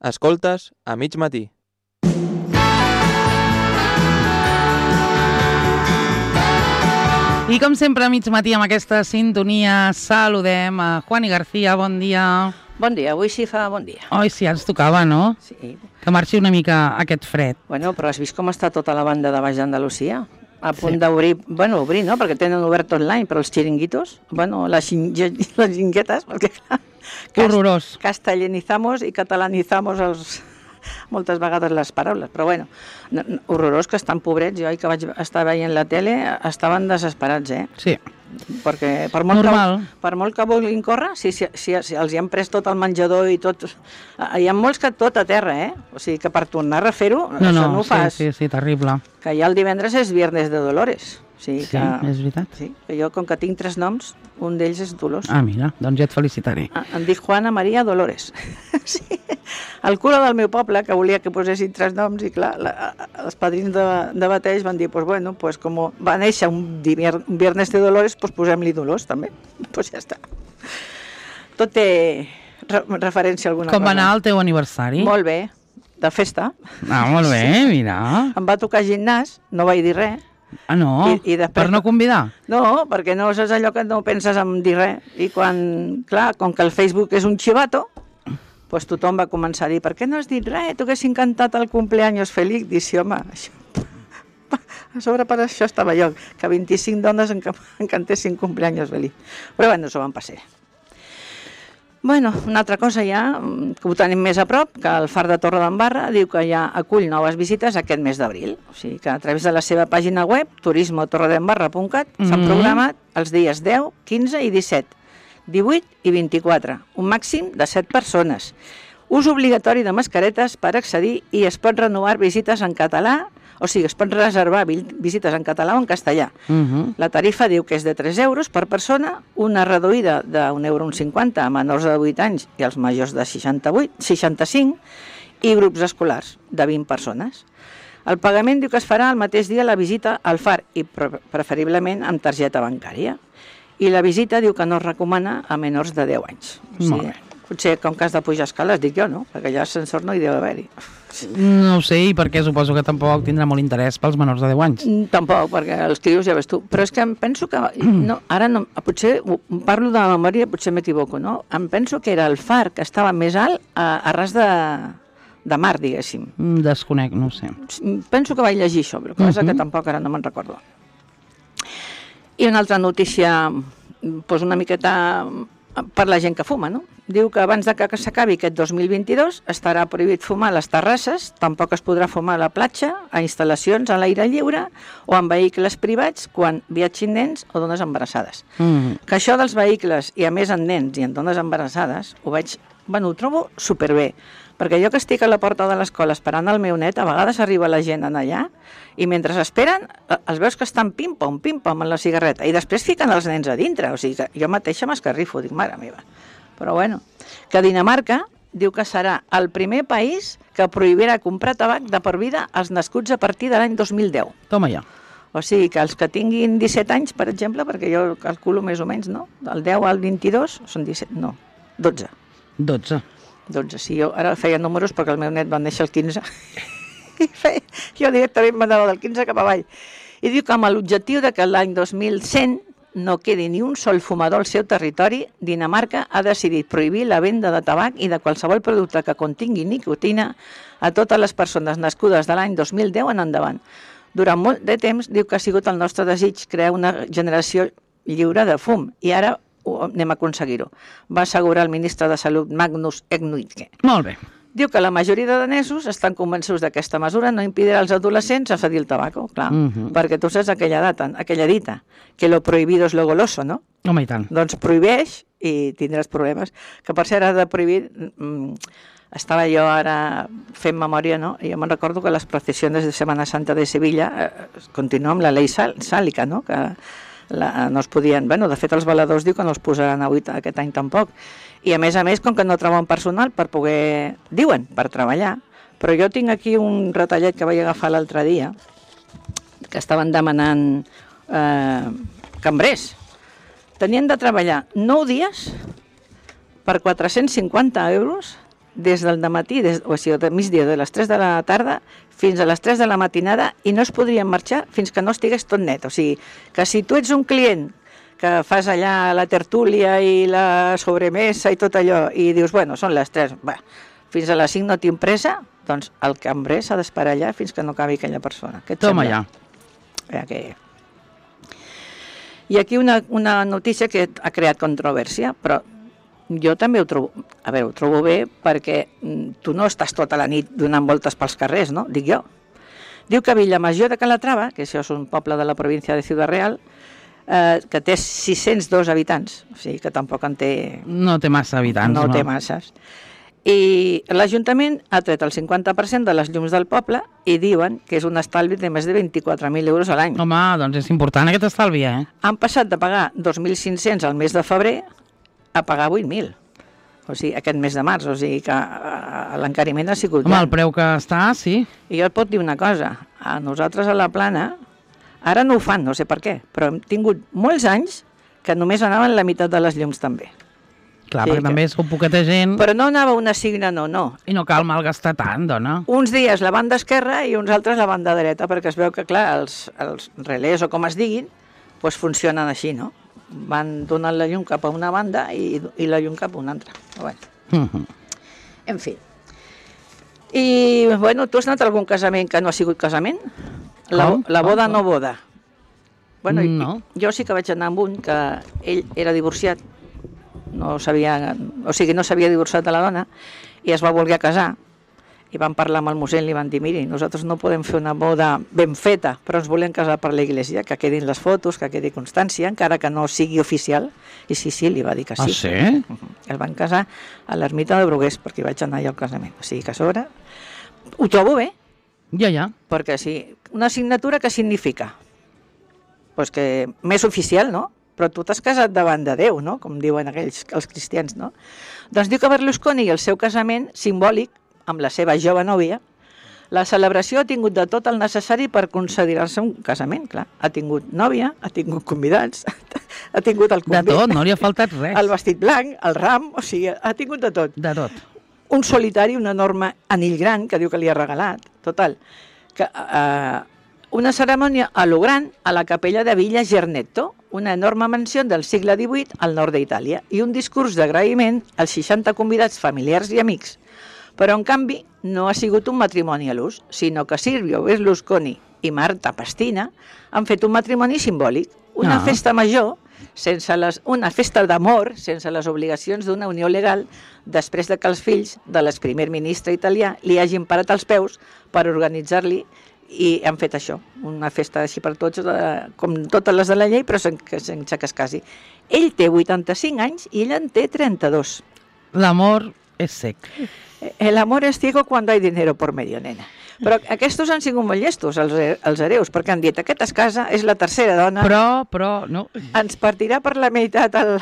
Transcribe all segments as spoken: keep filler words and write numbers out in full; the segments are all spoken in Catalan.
Escoltes a mig matí. I com sempre a mig matí amb aquesta sintonia saludem a Juani García, bon dia. Bon dia, avui sí fa bon dia. Oi, sí, ens tocava, no? Sí. Que marxi una mica aquest fred. Bueno, però has vist com està tota la banda de Baix d'Andalusia? A punt sí. d'obrir, bueno, obrir, no? Perquè tenen obert online, però els xiringuitos, bueno, les, xingue, les xinguetes, perquè clar, horrorós. Castellanizamos i catalanizamos els... moltes vegades les paraules, però bueno, horrorós que estan pobrets, jo que vaig estar veient la tele estaven desesperats, eh? Sí. Perquè per molt, Normal. que, per molt que vulguin córrer, si, si, si, si els hi han pres tot el menjador i tot... Hi ha molts que tot a terra, eh? O sigui que per tornar a refer-ho, no, això no, no ho sí, fas. Sí, sí, terrible. Que ja el divendres és Viernes de Dolores. O sigui sí, que, és veritat. Sí, que jo, com que tinc tres noms, un d'ells és Dolors. Ah, mira, doncs ja et felicitaré. Em dic Juana Maria Dolores. Sí. El cura del meu poble, que volia que posessin tres noms, i clar, la, els padrins de, de bateig van dir, pues bueno, pues com va néixer un, divier, un Viernes de Dolores, pues posem-li Dolors, també. Pues ja està. Tot té re, referència a alguna com cosa. Com va anar el teu aniversari? Molt bé, de festa. Ah, molt bé, sí. Mira. Em va tocar gimnàs, no vaig dir res. Ah, no? I, i després... Per no convidar? No, perquè no és allò que no penses en dir res. I quan, clar, com que el Facebook és un xivato, pues tothom va començar a dir, per què no has dit res? Tu haguessin cantat el cumpleaños feliç. Dic, sí, home, això... a sobre per això estava jo, que vint-i-cinc dones en, en cantessin cumpleaños feliç. Però bueno, s'ho van passar. Bueno, una altra cosa ja, que ho tenim més a prop, que el Far de Torredembarra diu que ja acull noves visites aquest mes d'abril. O sigui que a través de la seva pàgina web, turismo torredembarra punt cat, mm-hmm. s'han programat els dies deu, quinze i disset, divuit i vint-i-quatre, un màxim de set persones. Ús obligatori de mascaretes per accedir i es pot renovar visites en català, o sigui, es pot reservar visites en català o en castellà. Uh-huh. La tarifa diu que és de tres euros per persona, una reduïda d'un euro cinquanta a menors de divuit anys i als majors de seixanta-vuit, seixanta-cinc, i grups escolars de vint persones. El pagament diu que es farà el mateix dia la visita al Far i preferiblement amb targeta bancària. I la visita diu que no es recomana a menors de deu anys. O sigui, molt bé. Potser com que has de pujar escales, dic jo, no? Perquè allà ascensor no hi deu haver-hi. No ho sé, i perquè suposo que tampoc tindrà molt interès pels menors de deu anys. Tampoc, perquè els crios ja ves tu. Però és que em penso que... No, ara no, potser parlo de memòria, potser m'equivoco, no? Em penso que era el Far que estava més alt a, a ras de, de mar, diguéssim. Desconec, no ho sé. Penso que vaig llegir això, però cosa uh-huh. que tampoc ara no me'n recordo. I una altra notícia, doncs una miqueta per la gent que fuma, no? Diu que abans de que s'acabi aquest dos mil vint-i-dos estarà prohibit fumar a les terrasses, tampoc es podrà fumar a la platja, a instal·lacions a l'aire lliure o en vehicles privats quan viatgin nens o dones embarassades. Mm. Que això dels vehicles, i a més en nens i en dones embarassades, ho veig, bueno, ho trobo superbé, perquè jo que estic a la porta de l'escola esperant el meu net, a vegades arriba la gent en allà i mentre esperen els veus que estan pim-pom, pim-pom en la cigarreta i després fiquen els nens a dintre, o sigui que jo mateixa m'escarrifo, dic, mare meva. Però bueno, que Dinamarca diu que serà el primer país que prohibirà comprar tabac de per vida als nascuts a partir de l'any dos mil deu. Toma ja. O sigui que els que tinguin disset anys, per exemple, perquè jo calculo més o menys, no? Del deu al vint-i-dos són disset, no, dotze. dotze. dotze, sí, jo ara feia números perquè el meu net va néixer el quinze. I feia, jo directament m'anava del quinze cap avall. I diu que amb l'objectiu de que l'any dos mil cent no quedi ni un sol fumador al seu territori, Dinamarca ha decidit prohibir la venda de tabac i de qualsevol producte que contingui nicotina a totes les persones nascudes de l'any dos mil deu en endavant. Durant molt de temps diu que ha sigut el nostre desig crear una generació lliure de fum i ara anem a aconseguir-ho, va assegurar el ministre de Salut Magnus Eknudke. Molt bé. Diu que la majoria de danesos estan convençuts que aquesta mesura no impedirà als adolescents a cedir el tabaco, clar, uh-huh. perquè tu saps aquella data, aquella dita, que lo prohibido es lo goloso, no? Home, i tant. Doncs prohibeix i tindràs problemes. Que per ser ara de prohibir, mmm, estava jo ara fent memòria, no? I jo me'n recordo que les processions de Setmana Santa de Sevilla eh, continuen amb la llei sàlica, no? Que la, no es podien... Bueno, de fet, els baladors diu que no els posaran a huit aquest any tampoc. I a més a més, com que no troben personal per poder... Diuen, per treballar. Però jo tinc aquí un retallet que vaig agafar l'altre dia, que estaven demanant eh, cambrers. Tenien de treballar nou dies per quatre-cents cinquanta euros des del dematí, des, o sigui, de migdia, de les tres de la tarda fins a les tres de la matinada, i no es podrien marxar fins que no estigués tot net. O sigui, que si tu ets un client que fas allà la tertúlia i la sobremesa i tot allò, i dius, bueno, són les tres, va, fins a les cinc no tinc pressa, doncs el cambrer s'ha d'esperar allà fins que no acabi aquella persona. Què et Toma sembla? ja. Eh, que... I aquí una, una notícia que ha creat controvèrsia, però jo també ho trobo, a veure, ho trobo bé perquè tu no estàs tota la nit donant voltes pels carrers, no? Dic jo. Diu que Villamajor de Calatrava, que això és un poble de la província de Ciudad Real, eh, que té sis-cents dos habitants, o sigui que tampoc en té... No té massa habitants, no? No té masses. I l'Ajuntament ha tret el cinquanta per cent de les llums del poble i diuen que és un estalvi de més de vint-i-quatre mil euros a l'any. Home, doncs és important aquest estalvi, eh? Han passat de pagar dos mil cinc-cents al mes de febrer a pagar vuit mil. O sigui, aquest mes de març, o sigui que uh, l'encariment ha sigut... Home, gran. el preu que està, sí. I jo et pot dir una cosa, a nosaltres a la Plana, ara no ho fan, no sé per què, però hem tingut molts anys que només anaven la meitat de les llums també. Clar, Sí, perquè que- també sou poqueta gent Però no anava una signa, no, no. i no cal malgastar tant, dona. Uns dies la banda esquerra i uns altres la banda dreta, perquè es veu que, clar, els, els relés o com es diguin, doncs funcionen així, no? Van donant la llum cap a una banda i, i la llum cap a una altra. Però bueno, Mhm. en fi. I, bueno, tu has anat a algun casament que no ha sigut casament? La, Com? la boda Com? no boda. Bueno, i- No. jo sí que vaig anar amb un que ell era divorciat, no sabia, o sigui, no s'havia divorciat de la dona i es va voler casar i van parlar amb el mossèn i li van dir, miri, nosaltres no podem fer una boda ben feta, però ens volem casar per la iglesia, que quedin les fotos, que quedi constància, encara que no sigui oficial. I sí, sí, li va dir que sí. Ah, sí? Uh-huh. El van casar a l'ermita de Brugués, perquè hi vaig anar allà al casament. O sigui que a sobre ho trobo bé, Ja, ja. perquè sí, una signatura que significa? Pues que més oficial, no? Però tu t'has casat davant de Déu, no? Com diuen aquells, els cristians, no? Doncs diu que Berlusconi i el seu casament simbòlic amb la seva jove nòvia, la celebració ha tingut de tot el necessari per considerar-se un casament, clar. Ha tingut nòvia, ha tingut convidats, ha tingut el De convit, tot, no li ha faltat res. el vestit blanc, el ram, o sigui, ha tingut de tot. De tot. Un solitari, un enorme anell gran que diu que li ha regalat, total, que eh, una cerimònia a lo gran a la capella de Villa Gernetto, una enorme mansió del segle divuit al nord d'Itàlia, i un discurs d'agraïment als seixanta convidats familiars i amics. Però, en canvi, no ha sigut un matrimoni a l'ús, sinó que Silvio Berlusconi i Marta Pastina han fet un matrimoni simbòlic, una Ah. festa major, sense les, una festa d'amor sense les obligacions d'una unió legal, després de que els fills de l'exprimer ministre italià li hagin parat els peus per organitzar-li, i han fet això, una festa així per tots, de, com totes les de la llei, però sense, sense que es casi. Ell té vuitanta-cinc anys i ella en té trenta-dos. L'amor és sec. El amor es ciego cuando hay dinero por medio, nena. Però aquests han sigut molt llestos, els, els hereus, perquè han dit, aquest es casa, és la tercera dona, Però, però, no. ens partirà per la meitat el,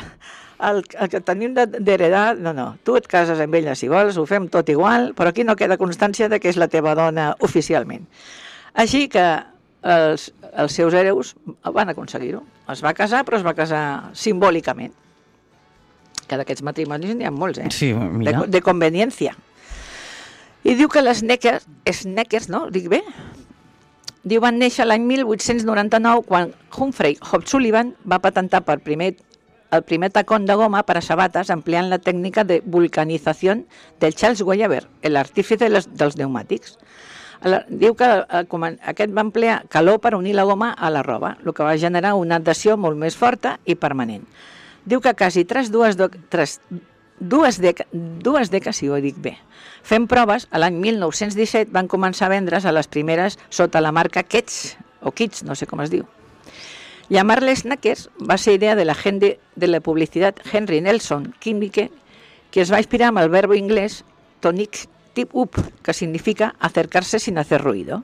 el, el que tenim de- d'heredar. No, no, tu et cases amb ella si vols, ho fem tot igual, però aquí no queda constància de que és la teva dona oficialment. Així que els, els seus hereus van aconseguir-ho. Es va casar, però es va casar simbòlicament. Que d'aquests matrimonis n'hi ha molts, eh? Sí, mira. De, de conveniència. I diu que les Sneckers, Sneckers, no? Dic bé? Diu, van néixer l'any mil vuit-cents noranta-nou quan Humphrey O'Sullivan va patentar per primer, el primer tacón de goma per a sabates empleant la tècnica de vulcanització del Charles Weber, l'artífice dels, dels pneumàtics. La- Diu que eh, comen- aquest va emplear calor per unir la goma a la roba, el que va generar una adhesió molt més forta i permanent. Diu que quasi tres, dues, do, tres, dues, deca, dues deques, si ho dic bé, fent proves, a l'any mil nou-cents disset van començar a vendre's a les primeres sota la marca Kets, o Kits, no sé com es diu. Llamar-les Sneckers va ser idea de l'agent de, de la publicitat Henry Nelson Kimmiche, que es va inspirar amb el verbo inglès tonic tip up, que significa acercarse sin hacer ruido.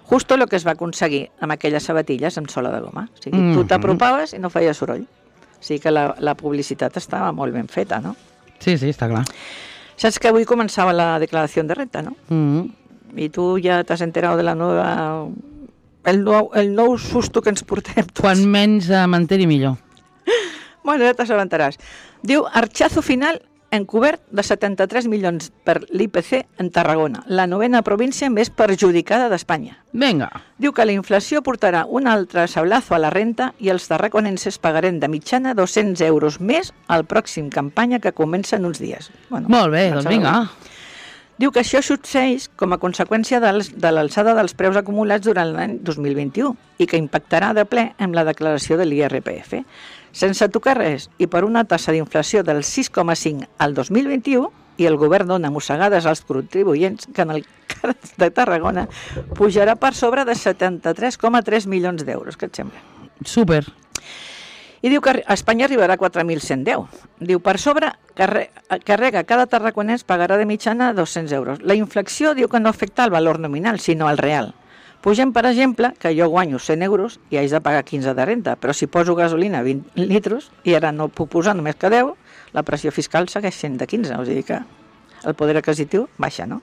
Justo lo que es va aconseguir amb aquelles sabatilles amb sola de goma. O sigui, tu Mhm. t'apropaves i no feia soroll. O sigui que la, la publicitat estava molt ben feta, no? Sí, sí, està clar. Saps que avui començava la declaració de renta, no? Mm. I tu ja t'has enterat de la nova... El nou, el nou susto que ens portem tots. Quan menys eh, m'enteri millor. Bueno, ja t'assabentaràs. Diu, archazo final encobert de setanta-tres milions per l'I P C en Tarragona, la novena província més perjudicada d'Espanya. Vinga. Diu que la inflació portarà un altre sablazo a la renta i els tarraconenses pagarem de mitjana dos-cents euros més al pròxim campanya que comença en uns dies. Bueno, Molt bé, doncs vinga. Diu que això succeeix com a conseqüència dels, de l'alçada dels preus acumulats durant l'any dos mil vint-i-u i que impactarà de ple amb la declaració de l'I R P F. Sense tocar res i per una tassa d'inflació del sis coma cinc al dos mil vint-i-u i el govern dona mossegades als contribuents que en el cas de Tarragona pujarà per sobre de setanta-tres coma tres milions d'euros. Què et sembla? Súper. I diu que a Espanya arribarà a quatre mil cent deu. Diu, per sobre, carrega cada tarraconès pagarà de mitjana dos-cents euros. La inflació diu que no afecta el valor nominal, sinó el real. Pugem, per exemple, que jo guanyo cent euros i haig de pagar quinze de renta, però si poso gasolina vint litros i ara no puc posar només que deu, la pressió fiscal segueix sent de quinze, o sigui que el poder adquisitiu baixa, no?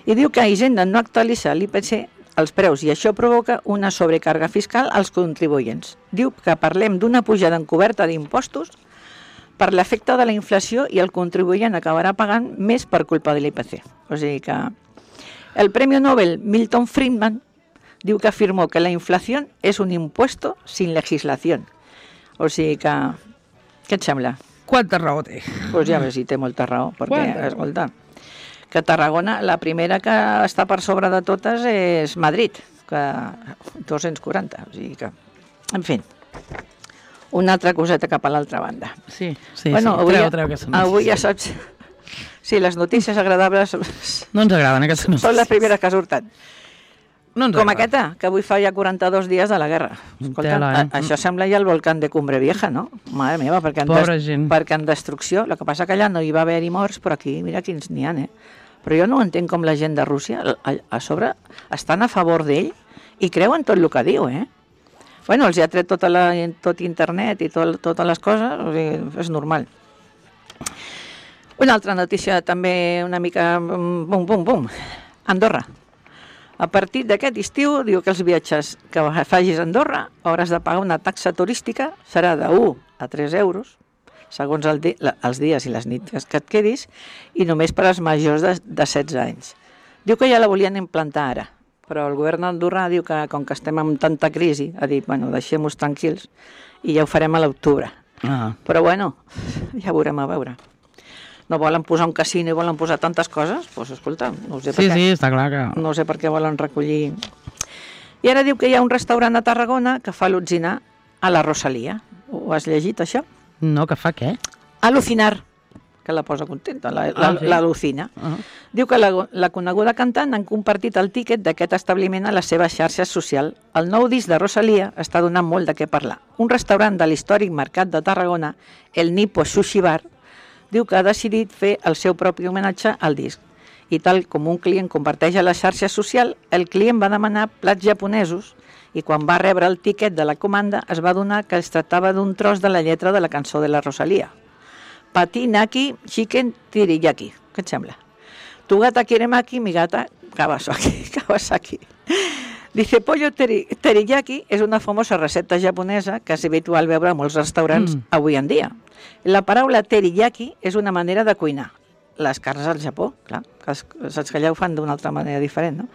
I diu que Hisenda no actualitza l'I P C els preus i això provoca una sobrecàrrega fiscal als contribuents. Diu que parlem d'una pujada encoberta d'impostos per l'efecte de la inflació i el contribuent acabarà pagant més per culpa de l'I P C. O sigui que el Premio Nobel Milton Friedman diu que afirmó que la inflación es un impuesto sin legislación. O sigui que, què et sembla? Quanta raó té? Doncs pues ja ves si té molta raó, perquè, Quanta? escolta, que Tarragona, la primera que està per sobre de totes és Madrid, que dos-cents quaranta, o sigui que, en fi, una altra coseta cap a l'altra banda. Sí, sí, bueno, sí. Avui, Treu, treu, treu avui ja saps... Sí, les notícies agradables no ens agraden aquestes notícies. són les primeres que surten. No ens Com agraden. aquesta, que avui fa ja quaranta-dos dies de la guerra. Escolta, Tela, eh? a, això sembla ja el volcán de Cumbre Vieja, no? Mare meva, perquè en, Pobra gent. perquè en destrucció, el que passa que allà no hi va haver-hi morts, però aquí, mira quins n'hi ha, eh? Però jo no entenc com la gent de Rússia, a, a sobre, estan a favor d'ell i creuen tot el que diu, eh? Bueno, els ha tret tota la, tot internet i tot, totes les coses, o sigui, és normal. Una altra notícia també una mica bum, bum, bum. Andorra. A partir d'aquest estiu, diu que els viatges que facis a Andorra hauràs de pagar una taxa turística, serà de u a tres euros, segons el di la, els dies i les nits que et quedis, i només per als majors de, de setze anys. Diu que ja la volien implantar ara, però el govern d'Andorra diu que, com que estem en tanta crisi, ha dit, bueno, deixem-nos tranquils i ja ho farem a l'octubre. Ah. Però bueno, ja veurem a veure. No volen posar un casino i volen posar tantes coses? Doncs pues, escolta, no sé per Sí, què. sí, està clar que... No sé per què volen recollir... I ara diu que hi ha un restaurant a Tarragona que fa al·lucinar a la Rosalia. Ho has llegit, això? No, que fa què? Al·lucinar, que la posa contenta, la, la, Ah, sí? l'al·lucina. Uh -huh. Diu que la, la coneguda cantant han compartit el tíquet d'aquest establiment a les seves xarxes socials. El nou disc de Rosalia està donant molt de què parlar. Un restaurant de l'històric mercat de Tarragona, el Nipo Sushi Bar, diu que ha decidit fer el seu propi homenatge al disc. I tal com un client comparteix a la xarxa social, el client va demanar plats japonesos i quan va rebre el tiquet de la comanda es va adonar que es tractava d'un tros de la lletra de la cançó de la Rosalia. Pati, naki, chicken, teriyaki. Què et sembla? Tu gata quiere maki, mi gata Kawasaki. Kawasaki. Dice, pollo teri teriyaki és una famosa recepta japonesa que és habitual veure a molts restaurants mm. avui en dia. La paraula teriyaki és una manera de cuinar. Les carns al Japó, clar, que saps que allà ho fan d'una altra manera diferent, no?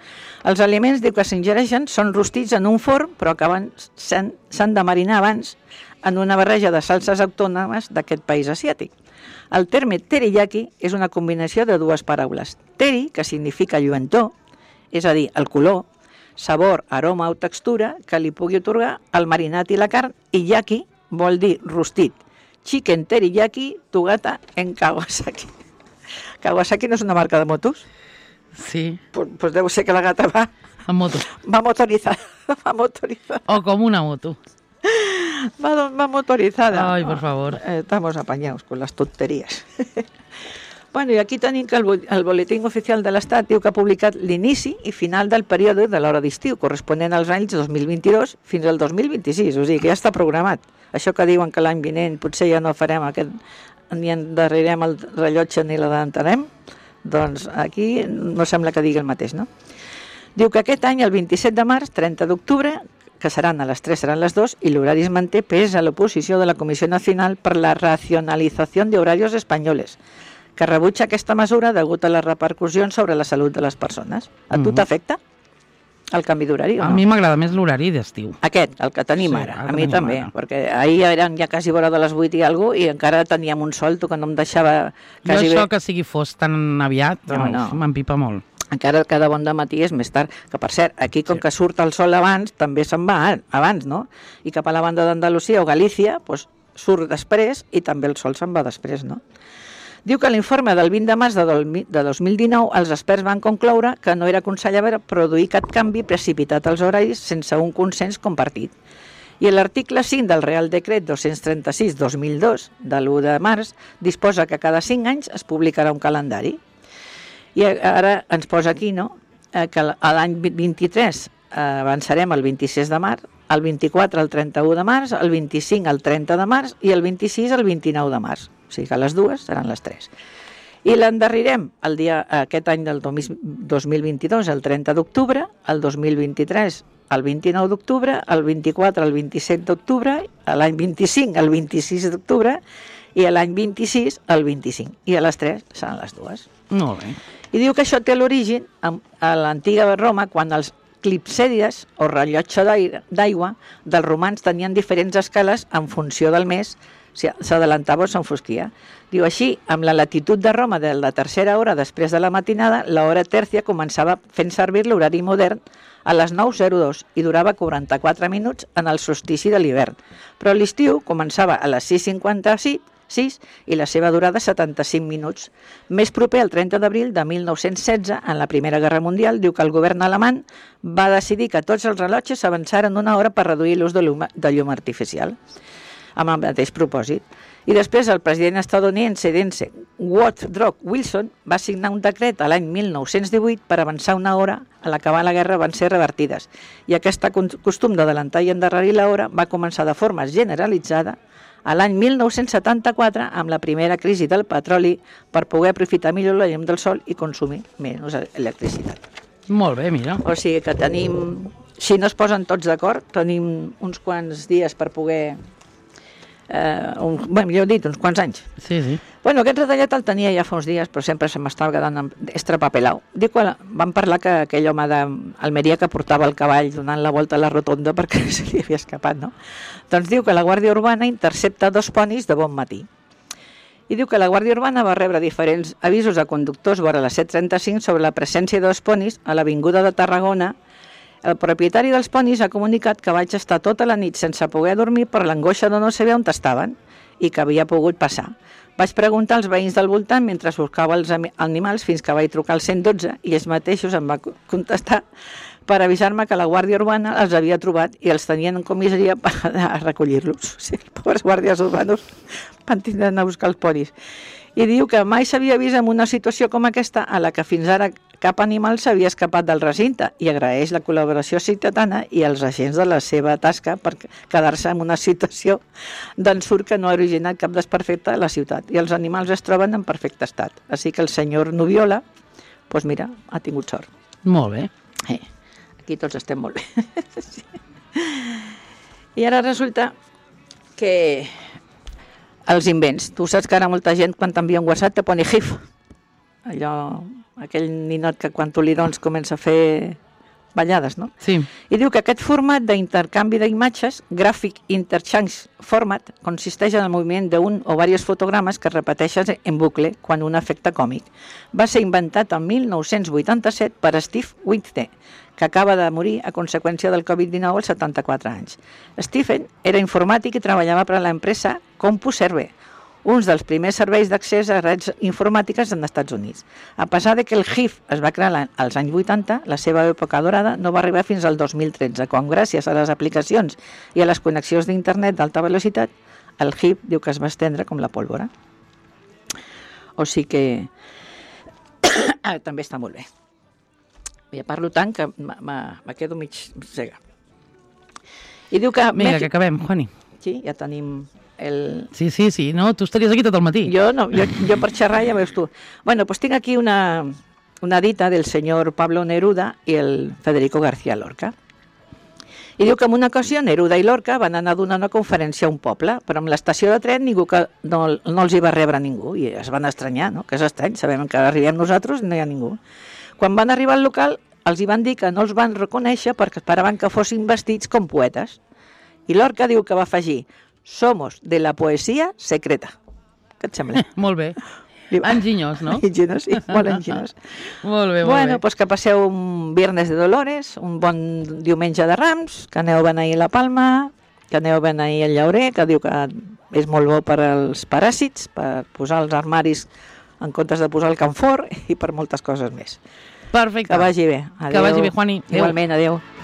Els aliments, diu que s'ingereixen, són rostits en un forn, però que s'han de marinar abans en una barreja de salses autònomes d'aquest país asiàtic. El terme teriyaki és una combinació de dues paraules. Teri, que significa lluentor, és a dir, el color, sabor, aroma o textura que li pugui atorgar el marinat i la carn, i yaki vol dir rostit. Chicken teriyaki, tu gata en Kawasaki. Kawasaki no és una marca de motos? Sí, Pues, pues deu ser que la gata va, en moto. va motorizada. Va motorizada. O com una moto. Va, va motorizada. Ay, por favor. Eh, Estamos apañados con las tonterías. Bueno, i aquí tenim que el, el Boletín Oficial de l'Estat diu que ha publicat l'inici i final del període de l'hora d'estiu, corresponent als anys dos mil vint-i-dos fins al dos mil vint-i-sis, o sigui que ja està programat. Això que diuen que l'any vinent potser ja no farem aquest, ni endarrerem el rellotge ni l'adelantarem, doncs aquí no sembla que digui el mateix, no? Diu que aquest any, el vint-i-set de març, trenta d'octubre, que seran a les tres seran les dos, i l'horari es manté pese a l'oposició de la Comissió Nacional per la Racionalització de Horarios Espanyoles, que rebutja aquesta mesura degut a les repercussions sobre la salut de les persones. A tu Mhm. t'afecta el canvi d'horari o A no? mi m'agrada més l'horari d'estiu. Aquest, el que tenim Sí, ara, el a que mi tenim també, ara. perquè ahir eren ja quasi vora de les vuit i alguna cosa i encara teníem un sol, tu que no em deixava Jo quasi això bé. que sigui fos tan aviat, No, no, no. m'empipa molt. Encara cada bon de matí és més tard, que per cert, aquí com Sí. que surt el sol abans, també se'n va abans, no? I cap a la banda d'Andalusia o Galícia, doncs, surt després i també el sol se'n va després, no? Diu que l'informe del vint de març de dos mil dinou els experts van concloure que no era aconsellable produir cap canvi precipitat als horaris sense un consens compartit. I l'article cinc del Real Decret dos-cents trenta-sis dos mil dos, de l'u de març, disposa que cada cinc anys es publicarà un calendari. I ara ens posa aquí, no?, eh, que l'any vint-i-tres eh, avançarem el vint-i-sis de març, el vint-i-quatre el trenta-u de març, el vint-i-cinc el trenta de març i el vint-i-sis el vint-i-nou de març. O sigui que les dues seran les tres. I l'endarrirem el dia, aquest any del dos mil vint-i-dos, el trenta d'octubre, el dos mil vint-i-tres, el vint-i-nou d'octubre, el vint-i-quatre, el vint-i-set d'octubre, l'any vint-i-cinc, el vint-i-sis d'octubre i l'any vint-i-sis, el vint-i-cinc. I a les tres seran les dues. Molt bé. I diu que això té l'origen a l'antiga Roma, quan els clipsèdies, o rellotge d'aigua, dels romans tenien diferents escales en funció del mes, si s'adelantava o s'enfosquia. Diu així, amb la latitud de Roma de la tercera hora després de la matinada, l'hora tèrcia començava fent servir l'horari modern a les nou zero dos i durava quaranta-quatre minuts en el solstici de l'hivern. Però l'estiu començava a les sis cinquanta-sis i la seva durada setanta-cinc minuts. Més proper al trenta d'abril de mil nou-cents setze, en la Primera Guerra Mundial, diu que el govern alemany va decidir que tots els rellotges avançaren una hora per reduir l'ús de llum, de llum artificial, amb el mateix propòsit. I després el president estadounidense Woodrow Wilson va signar un decret a l'any mil nou-cents divuit per avançar una hora. A l'acabar la guerra van ser revertides i aquest costum d'adelantar i endarrerir l'hora va començar de forma generalitzada a l'any mil nou-cents setanta-quatre amb la primera crisi del petroli per poder aprofitar millor la llum del sol i consumir menys electricitat. Molt bé, mira. O sigui que tenim, si no es posen tots d'acord, tenim uns quants dies per poder... Eh, un, bé, millor dit, uns quants anys. Sí, sí. Bueno, aquest retallat el tenia ja fa uns dies, però sempre se m'estava quedant estrapapelau. Dic que vam parlar que aquell home d'Almeria que portava el cavall donant la volta a la rotonda perquè se li havia escapat, no? Doncs diu que la Guàrdia Urbana intercepta dos ponis de bon matí. I diu que la Guàrdia Urbana va rebre diferents avisos a conductors vora les set trenta-cinc sobre la presència de dos ponis a l'avinguda de Tarragona. El propietari dels ponis ha comunicat que vaig estar tota la nit sense poder dormir per l'angoixa de no saber on estaven i que havia pogut passar. Vaig preguntar als veïns del voltant mentre buscava els animals fins que vaig trucar al cent dotze i ells mateixos em va contestar per avisar-me que la Guàrdia Urbana els havia trobat i els tenien en comissaria per a recollir-los. O sigui, els pobres guàrdies urbanos van tindre a buscar els ponis. I diu que mai s'havia vist en una situació com aquesta a la que fins ara cap animal s'havia escapat del recinte i agraeix la col·laboració ciutadana i els agents de la seva tasca per quedar-se en una situació d'ensurt que no ha originat cap desperfecte a la ciutat i els animals es troben en perfecte estat. Així que el senyor Nubiola, doncs mira, ha tingut sort. Molt bé. Eh, aquí tots estem molt bé. Sí. I ara resulta que els invents, tu saps que ara molta gent quan t'envia un WhatsApp te pone GIF, allò, aquell ninot que quan tu li dones comença a fer ballades, no? Sí. I diu que aquest format d'intercanvi d'imatges, Graphic Interchange Format, consisteix en el moviment d'un o diversos fotogrames que es repeteixen en bucle quan un efecte còmic. Va ser inventat en mil nou-cents vuitanta-set per Steve Whitney, que acaba de morir a conseqüència del covid dinou als setanta-quatre anys. Stephen era informàtic i treballava per a l'empresa CompuServe, uns dels primers serveis d'accés a redes informàtiques en Estats Units. A pesar de que el GIF es va crear als anys vuitanta, la seva època dorada no va arribar fins al dos mil tretze, quan gràcies a les aplicacions i a les connexions d'internet d'alta velocitat, el GIF diu que es va estendre com la pólvora. O sigui que ah, també està molt bé. Ja parlo tant que me quedo mig cega. I diu que... Mira, que acabem, Juani. Sí, ja tenim... El... Sí, sí, sí, no, tu estaries aquí tot el matí. Jo no, jo, jo per xerrar ja veus tu. Bueno, pues tinc aquí una, una dita del senyor Pablo Neruda i el Federico García Lorca. I diu que en una ocasió Neruda i Lorca van anar a donar una conferència a un poble, però amb l'estació de tren ningú que no, no els hi va rebre ningú i es van estranyar, no? Que és estrany, sabem que arribem nosaltres i no hi ha ningú. Quan van arribar al local els hi van dir que no els van reconèixer perquè esperaven que fossin vestits com poetes. I Lorca diu que va afegir: somos de la poesía secreta. Què et sembla? Molt bé. Enginyós, no? Enginyós, sí, molt enginyós. Molt bé, molt bueno, bé. Pues que passeu un Viernes de Dolores, un bon diumenge de Rams, que aneu a beneir la Palma, que aneu a beneir el llaurer, que diu que és molt bo per als paràsits, per posar els armaris en comptes de posar el camfor i per moltes coses més. Perfecte. Que vagi bé. Adéu. Que vagi bé, Juani. Adéu. Igualment, adéu.